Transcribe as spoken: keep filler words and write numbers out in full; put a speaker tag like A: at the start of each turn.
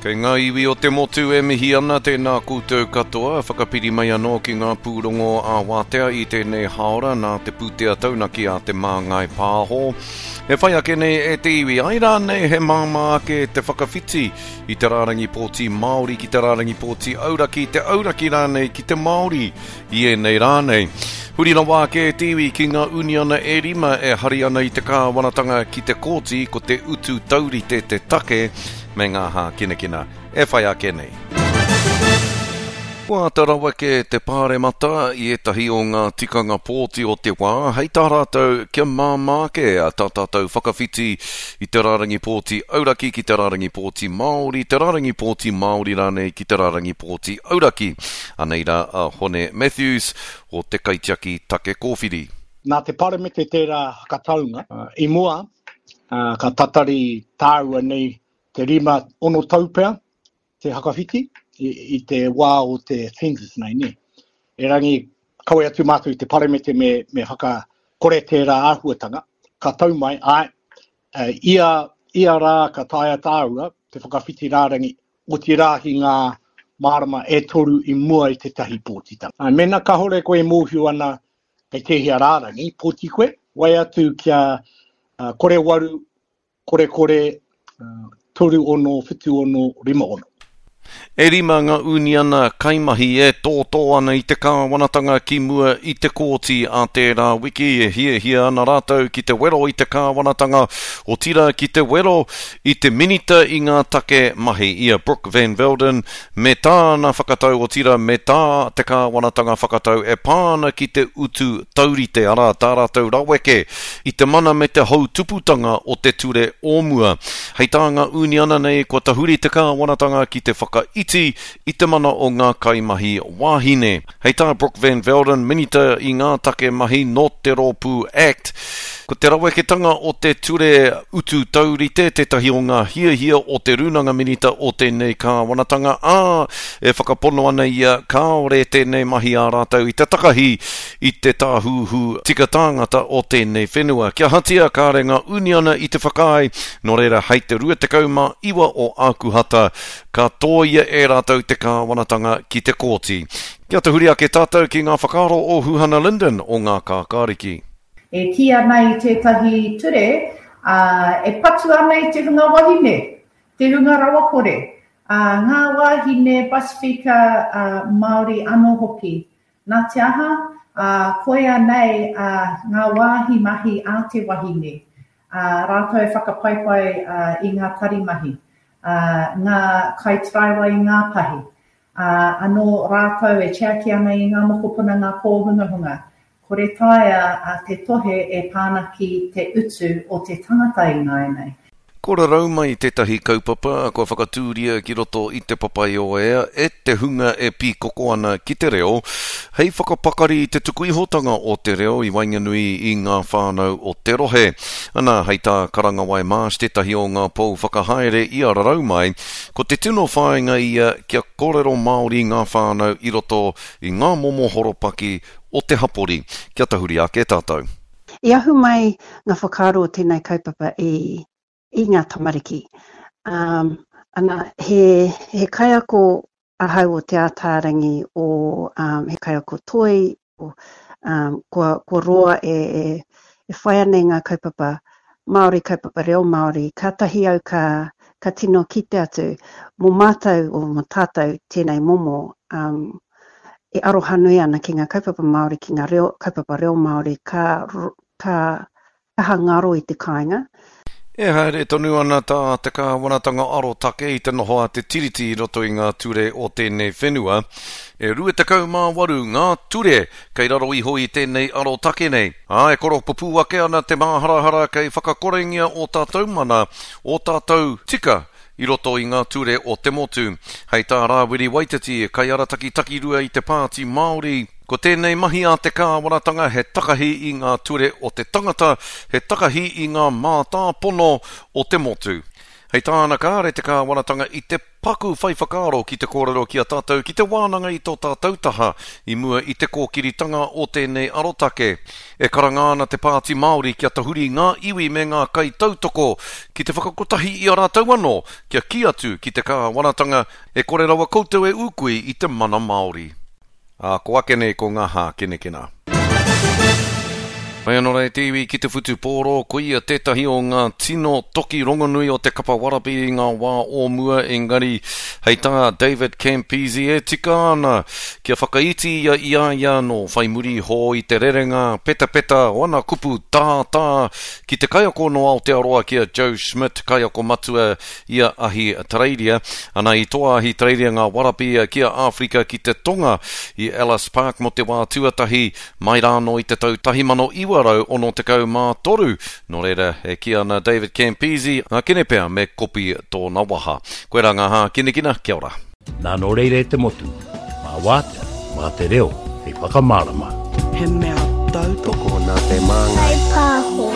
A: Kei ngā iwi o te motu e mihi ana tēnā koutou katoa, whakapiri mai anō ki ngā pūrongo a wātea i tēnei haora nā te pūtea taunaki a Te Māngai Pāho. E whai ake nei e te iwi, ai rānei he māmā ake te whakawhiti i te rārangi pōti Māori ki te rārangi pōti auraki, te auraki rānei ki te Māori i ēnei rānei. Huri rawa ake e te iwi ki ngā uniana e rima e hari ana i te kāwanatanga ki te kōti ko te utu taurite te take me ngā hākinakina e whai ake nei. Kua āta raweke te pāremata i ētahi o ngā tikanga pōti o te wā, hei tā rātou kia māmā ake tā tātou whakawhiti i te rārangi pōti auraki ki te rārangi pōti Māori, te rārangi pōti Māori rānei ki te rārangi pōti auraki. Anei rā a Hone Matthews o te Kaitiaki Take Kōwhiri.
B: Nā te paremete tērā hakataunga, i mua, ka tatari tāua nei te rima ono tau pea, te hakawhiti, i, i te wā o te census nei, ne. Erangi, kawe atu mātou i te paremete me, me whakakore tērā āhuatanga, ka tau mai, ai, ia, ia rā ka taea tāua te whakawhiti rārangi, oti rā ki ngā marama e toru i mua i tētahi pōtitanga. Ai, mēnā kahore koe e mōhio ana kei tēhea rārangi, pōti koe, wai atu kia uh, kore waru, kore kore, uh, toru ono, whitu ono, rima ono.
A: E rima ngā uniana kaimahi e tōtō ana i te kāwanatanga ki mua i te kōti a tērā wiki e hiahia ana rātou ki te wero i te kāwanatanga, otirā ki te wero i te minita i ngā take mahi i a Brooke Van Velden me tāna whakatau otirā me tā te kāwanatanga whakatau e pā ana ki te utu taurite, arā tā rātou raweke i te mana me te hautuputanga o te ture o mua. Hei tā ngā uniana nei kua tahuri te kāwanatanga ki te whakaiti i te mana o ngā kaimahi wāhine. Hei tā Brooke Van Velden, minita i ngā take mahi nō te rōpū Act, ko te raweketanga o te ture utu taurite tētahi o ngā hiahia o te rūnanga minita o tēnei kāwanatanga, ā, e whakapono ana ia kāore tēnei mahi ā rātou i te takahi i te tāhuhu tika tāngata o tēnei whenua. Kia hatia kāre ngā uniana i te whakaae, nō reira hei te rua tekau mā iwa o Ākuhata, ka tōia e rātou te kāwanatanga ki te kōti. Kia tahuri ake tātou ki ngā whakaaro o Huhana Lyndon o ngā Kākāriki.
C: E kī ana i tētahi ture, uh, e patu ana i te hunga wahine, te hunga rawakore, uh, ngā wāhine Pasifika uh, Māori anō hoki. Nā te aha, uh, koia nei uh, ngā wāhi mahi a te wahine, uh, rātou e whakapaipai uh, i ngā tari mahi, uh, ngā kaitaraiwa i ngā pahi, uh, anō rātou e tiaki ana i ngā mokopuna ngā kōhungahunga. Kore taea a te tohe e pāna ki te utu o te tangata i nāianei.
A: Ko rarau mai tētahi kaupapa kua whakatūria ki roto i te Papaioea e te hunga e pīkoko ana ki te reo, hei whakapakari i te tukuihotanga o te reo i waenganui i ngā whānau o te rohe. Ana, hei tā Karangawai Marsh tētahi o ngā pou whakahaere i a rarau mai, ko te tino whāinga ia kia kōrero Māori ngā whānau i roto i ngā momo horopaki o te hapori. Kia tahuri ake tātou.
D: I ahu mai ngā whakaaro o tēnei kaupapa i i ngā tamariki. Um, ana, he, he kaiako ahau o Te Ātaarangi o, um, he kaiako toi, o, um, kua, kua roa e, e, e whai ana i ngā kaupapa Māori, kaupapa reo Māori, kātahi au ka, ka tino kite atu mō mātou o mō tātou tēnei momo um, e aroha nui ana ki ngā kaupapa Māori, ki ngā reo, kaupapa reo Māori, ka, ka kaha ngaro i te kāinga.
A: E haere tonu ana tā te kāwanatanga arotake i te noho a te tiriti i roto i ngā ture o tēnei whenua. E rua tekau mā waru ngā ture kei raro iho i tēnei arotake nei. Ā, e koropupū ake ana te māharahara kei whakakorengia o tātou mana, o tātou tika i roto i ngā ture o te motu. Hei tā Rāwiri Waititi, kaiarataki takirua i te Pāti Māori, ko tēnei mahi a te kāwanatanga he takahi i ngā ture o te tangata, he takahi i ngā mātāpono o te motu. Hei tāna kāre te kāwanatanga i te paku whai whakaaro ki te kōrero ki a tātou ki te wānanga i tō tātou taha i mua i te kōkiritanga o tēnei arotake. E karanga ana te Pāti Māori kia tahuri ngā iwi me ngā kaitautoko ki te whakakotahi i a rātou anō kia kī atu ki te kāwanatanga e kore rawa koutou e ūkui i te mana Māori. Ā, ko ake nei ko ngā hākinakina. Mai anō rā e te iwi ki te whutupōro, ko ia tētahi o ngā tino toki rongonui o te kapa warabi i ngā wā o mua, engari hei tā David Campese e tika ana kia whakaiti ia i a ia anō whai muri iho i te rerenga petapeta o ana kupu tātā ki te kaiako nō Aotearoa ki a Joe Schmidt, kaiako matua i a Ahitereiria. Ana i toa Ahitereiria ngā warabi ki a Āwherika ki te Tonga i Ellis Park mō te wā tuatahi mai rānō i te tau tahi mano iwa rau ono tekau mā toru. Nō reira, e kī ana David Campese, ngā kene pea me kopi tōna waha. Koirā ngā hākinakina, kia ora.
E: Nā nō reira e te motu, mā wātea, mā te reo, hei whakamārama.
F: He mea tautoko
G: nā te māngai.
H: Pāho.